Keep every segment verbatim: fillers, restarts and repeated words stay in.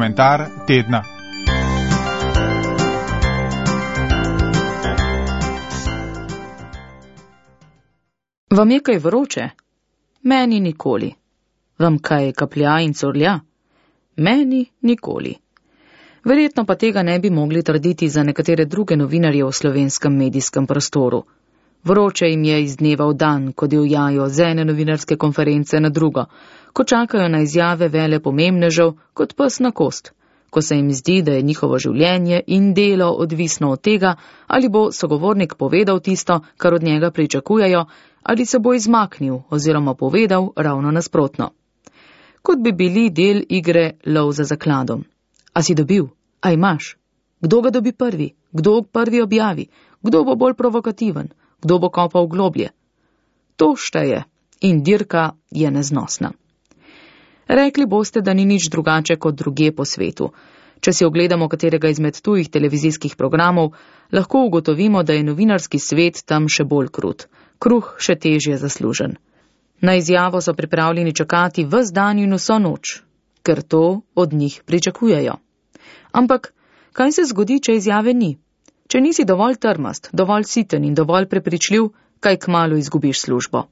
komentar tedna. Vam je kaj vroče? Meni nikoli. Vam kaj kaplja in curlja? Meni nikoli. Verjetno pa tega ne bi mogli trditi za nekatere druge novinarje v slovenskem medijskem prostoru. Vroče jim je iz dneva v dan, ko divjajo z ene novinarske konference na drugo, ko čakajo na izjave velepomembnežev kot pes na kost, ko se jim zdi, da je njihovo življenje in delo odvisno od tega, ali bo sogovornik povedal tisto, kar od njega pričakujejo, ali se bo izmaknil oziroma povedal ravno nasprotno. Kot bi bili del igre lov za zakladom. A si dobil? A imaš? Kdo ga dobi prvi? Kdo prvi objavi? Kdo bo bolj provokativen? Kdo bo kopal globlje? To šteje in dirka je neznosna. Rekli boste, da ni nič drugače kot druge po svetu. Če si ogledamo katerega izmed tujih televizijskih programov, lahko ugotovimo, da je novinarski svet tam še bolj krut, kruh še težje zaslužen. Na izjavo so pripravljeni čakati ves dan in vso noč, ker to od njih pričakujejo. Ampak, kaj se zgodi, če izjave ni? Če nisi dovolj trmast, dovolj siten in dovolj prepričljiv, kaj kmalu izgubiš službo.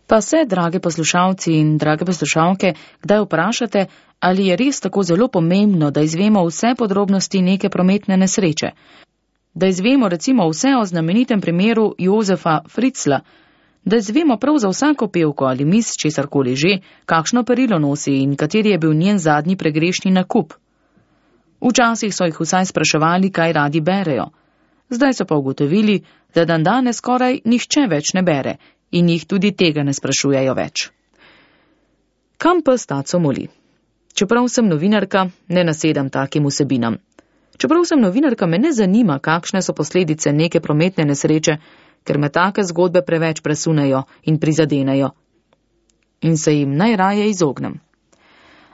Pa se, drage poslušalci in drage poslušalke, kdaj vprašate, ali je res tako zelo pomembno, da izvemo vse podrobnosti neke prometne nesreče? Da izvemo recimo vse o znamenitem primeru Jozefa Fritzla, da izvemo prav za vsako pevko ali mis česarkoli že, kakšno perilo nosi in kateri je bil njen zadnji pregrešni nakup. Včasih so jih vsaj spraševali, kaj radi berejo. Zdaj so pa ugotovili, da dan danes skoraj nihče več ne bere in jih tudi tega ne sprašujejo več. Kam pes taco moli? Čeprav sem novinarka, ne nasedam takim vsebinam. Čeprav sem novinarka, me ne zanima, kakšne so posledice neke prometne nesreče, ker me take zgodbe preveč presunejo in prizadenejo. In se jim najraje izognem.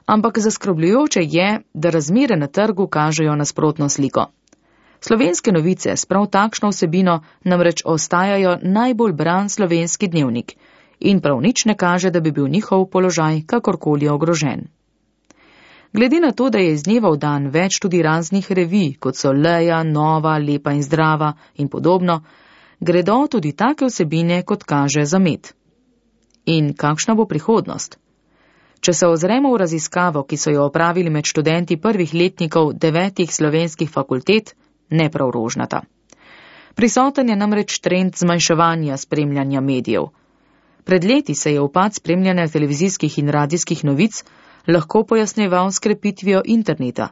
Ampak zaskrbljujoče je, da razmere na trgu kažejo nasprotno sliko. Slovenske novice s prav takšno vsebino namreč ostajajo najbolj bran slovenski dnevnik in prav nič ne kaže, da bi bil njihov položaj kakorkoli ogrožen. Glede na to, da je iz dneva v dan več tudi raznih revij, kot so Leja, Nova, Lepa in Zdrava in podobno, gredo tudi take vsebine, kot kaže, za med. In kakšna bo prihodnost? Če se ozremo v raziskavo, ki so jo opravili med študenti prvih letnikov devetih slovenskih fakultet, ne prav rožnata. Prisoten je namreč trend zmanjševanja spremljanja medijev. Pred leti se je upad spremljanja televizijskih in radijskih novic lahko pojasnjeval s krepitvijo interneta.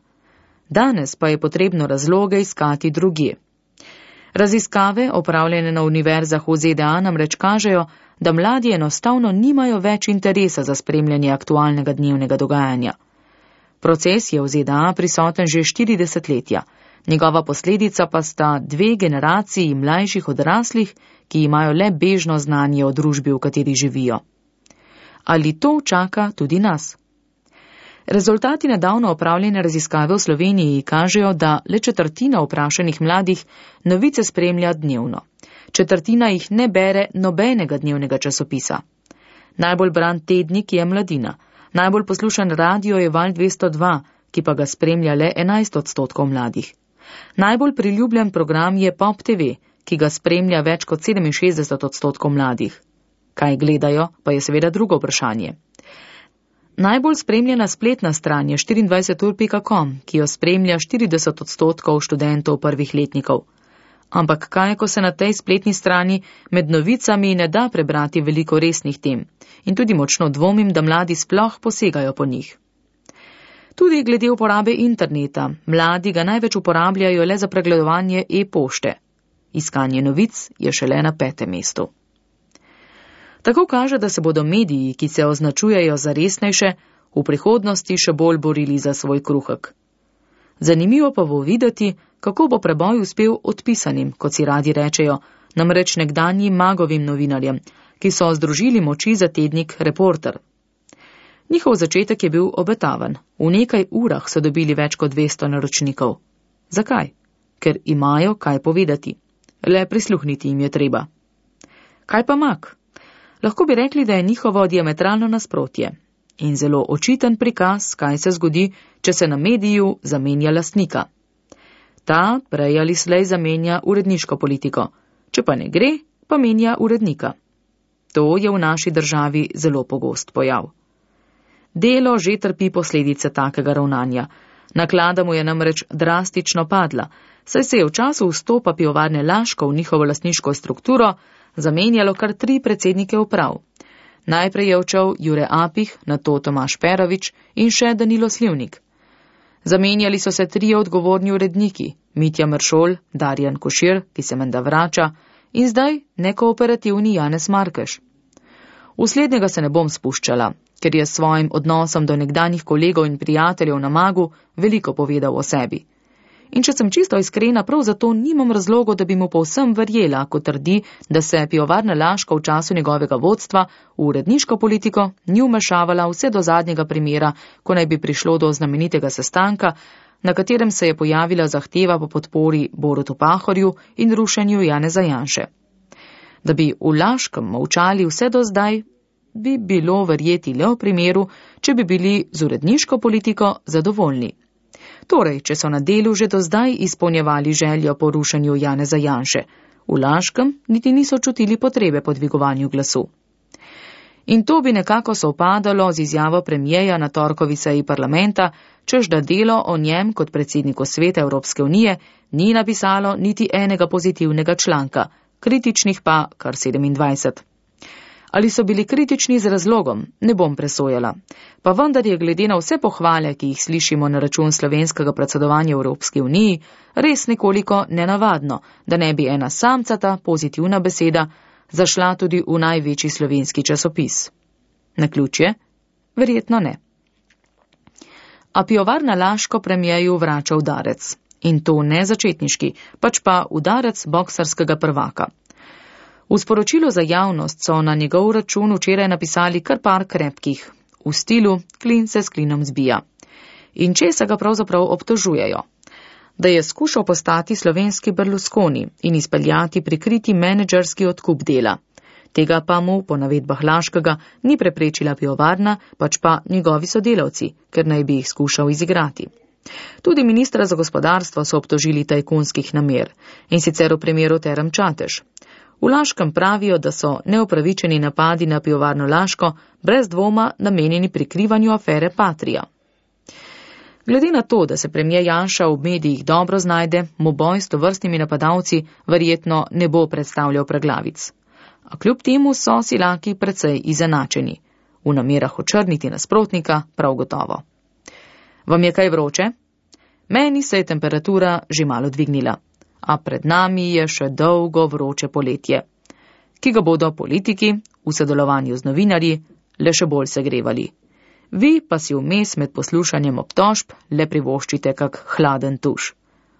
Danes pa je potrebno razloge iskati drugje. Raziskave, opravljene na univerzah v Z D A, namreč kažejo, da mladi enostavno nimajo več interesa za spremljanje aktualnega dnevnega dogajanja. Proces je v Z D A prisoten že štiri desetletja. Njegova posledica pa sta dve generaciji mlajših odraslih, ki imajo le bežno znanje o družbi, v kateri živijo. Ali to čaka tudi nas? Rezultati nedavno opravljene raziskave v Sloveniji kažejo, da le četrtina vprašanih mladih novice spremlja dnevno. Četrtina jih ne bere nobenega dnevnega časopisa. Najbolj bran tednik je Mladina. Najbolj poslušan radio je Val dvesto dva, ki pa ga spremlja le enajst odstotkov mladih. Najbolj priljubljen program je Pop T V, ki ga spremlja več kot sedeminšestdeset odstotkov mladih. Kaj gledajo, pa je seveda drugo vprašanje. Najbolj spremljena spletna stran je štiriindvajset ur pika com, ki jo spremlja štirideset odstotkov študentov prvih letnikov. Ampak kaj, ko se na tej spletni strani med novicami ne da prebrati veliko resnih tem in tudi močno dvomim, da mladi sploh posegajo po njih. Tudi glede uporabe interneta, mladi ga največ uporabljajo le za pregledovanje e-pošte. Iskanje novic je šele na petem mestu. Tako kaže, da se bodo mediji, ki se označujejo za resnejše, v prihodnosti še bolj borili za svoj kruhek. Zanimivo pa bo videti, kako bo preboj uspel odpisanim, kot si radi rečejo, namreč nekdanjim magovim novinarjem, ki so združili moči za tednik Reporter. Njihov začetek je bil obetaven. V nekaj urah so dobili več kot dvesto naročnikov. Zakaj? Ker imajo kaj povedati. Le prisluhniti jim je treba. Kaj pa Mag? Lahko bi rekli, da je njihovo diametralno nasprotje. in zelo očiten prikaz, kaj se zgodi, če se na mediju zamenja lastnika. Ta prej ali slej zamenja uredniško politiko, če pa ne gre, pa menja urednika. To je v naši državi zelo pogost pojav. Delo že trpi posledice takega ravnanja. Naklada mu je namreč drastično padla, saj se je v času vstopa pivovarne Laško v njihovo lastniško strukturo zamenjalo kar tri predsednike uprav. Najprej je odšel Jure Apih, nato Tomaž Perovič in še Danilo Slivnik. Zamenjali so se trije odgovorni uredniki, Mitja Mršol, Darjan Košir, ki se menda vrača, in zdaj nekooperativni Janez Markeš. V slednjega se ne bom spuščala, ker je s svojim odnosom do nekdanjih kolegov in prijateljev na Magu veliko povedal o sebi. In če sem čisto iskrena, prav zato nimam razlogov, da bi mu povsem verjela, ko trdi, da se pivovarna Laško v času njegovega vodstva v uredniško politiko ni vmešavala vse do zadnjega primera, ko naj bi prišlo do znamenitega sestanka, na katerem se je pojavila zahteva po podpori Borutu Pahorju in rušenju Janeza Janše. Da bi v Laškem molčali vse do zdaj, bi bilo verjeti le v primeru, če bi bili z uredniško politiko zadovoljni. Torej, če so na delu že do zdaj izpolnjevali željo po rušenju Janeza Janše, v Laškem niti niso čutili potrebe po dvigovanju glasu. In to bi nekako sovpadalo z izjavo premijeja na torkovi seji parlamenta, čež da delo o njem kot predsedniku Sveta Evropske unije ni napisalo niti enega pozitivnega članka, kritičnih pa kar sedemindvajset. Ali so bili kritični z razlogom, ne bom presojala. Pa vendar je glede na vse pohvale, ki jih slišimo na račun slovenskega predsedovanja Evropski uniji, res nekoliko nenavadno, da ne bi ena samcata pozitivna beseda zašla tudi v največji slovenski časopis. Naključje? Verjetno ne. A pivovarna Laško premijeju vrača udarec. In to ne začetniški, pač pa udarec boksarskega prvaka. V sporočilu za javnost so na njegov račun včeraj napisali kar par krepkih, v stilu klin se s klinom zbija. In česa ga pravzaprav obtožujejo? Da je skušal postati slovenski Berlusconi in izpeljati prikriti menedžerski odkup dela. Tega pa mu, po navedbah Laškega, ni preprečila pivovarna, pač pa njegovi sodelavci, ker naj bi jih skušal izigrati. Tudi ministra za gospodarstvo so obtožili tajkunskih namer, in sicer v primeru Term Čatež. V Laškem pravijo, da so neupravičeni napadi na pivovarno Laško brez dvoma namenjeni prikrivanju afere Patria. Glede na to, da se premijer Janša v medijih dobro znajde, mu boj s tovrstnimi napadalci verjetno ne bo predstavljal preglavic. A kljub temu so silaki precej izenačeni. V namerah očrniti nasprotnika prav gotovo. Vam je kaj vroče? Meni se je temperatura že malo dvignila. A pred nami je še dolgo vroče poletje, ki ga bodo politiki v sodelovanju z novinarji le še bolj segrevali. Vi pa si vmes med poslušanjem obtožb le privoščite kak hladen tuš,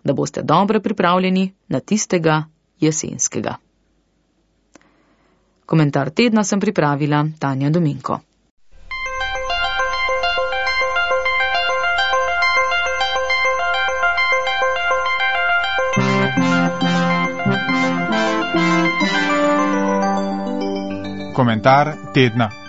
da boste dobro pripravljeni na tistega jesenskega. Komentar tedna sem pripravila Tanja Dominko. Komentar tedna.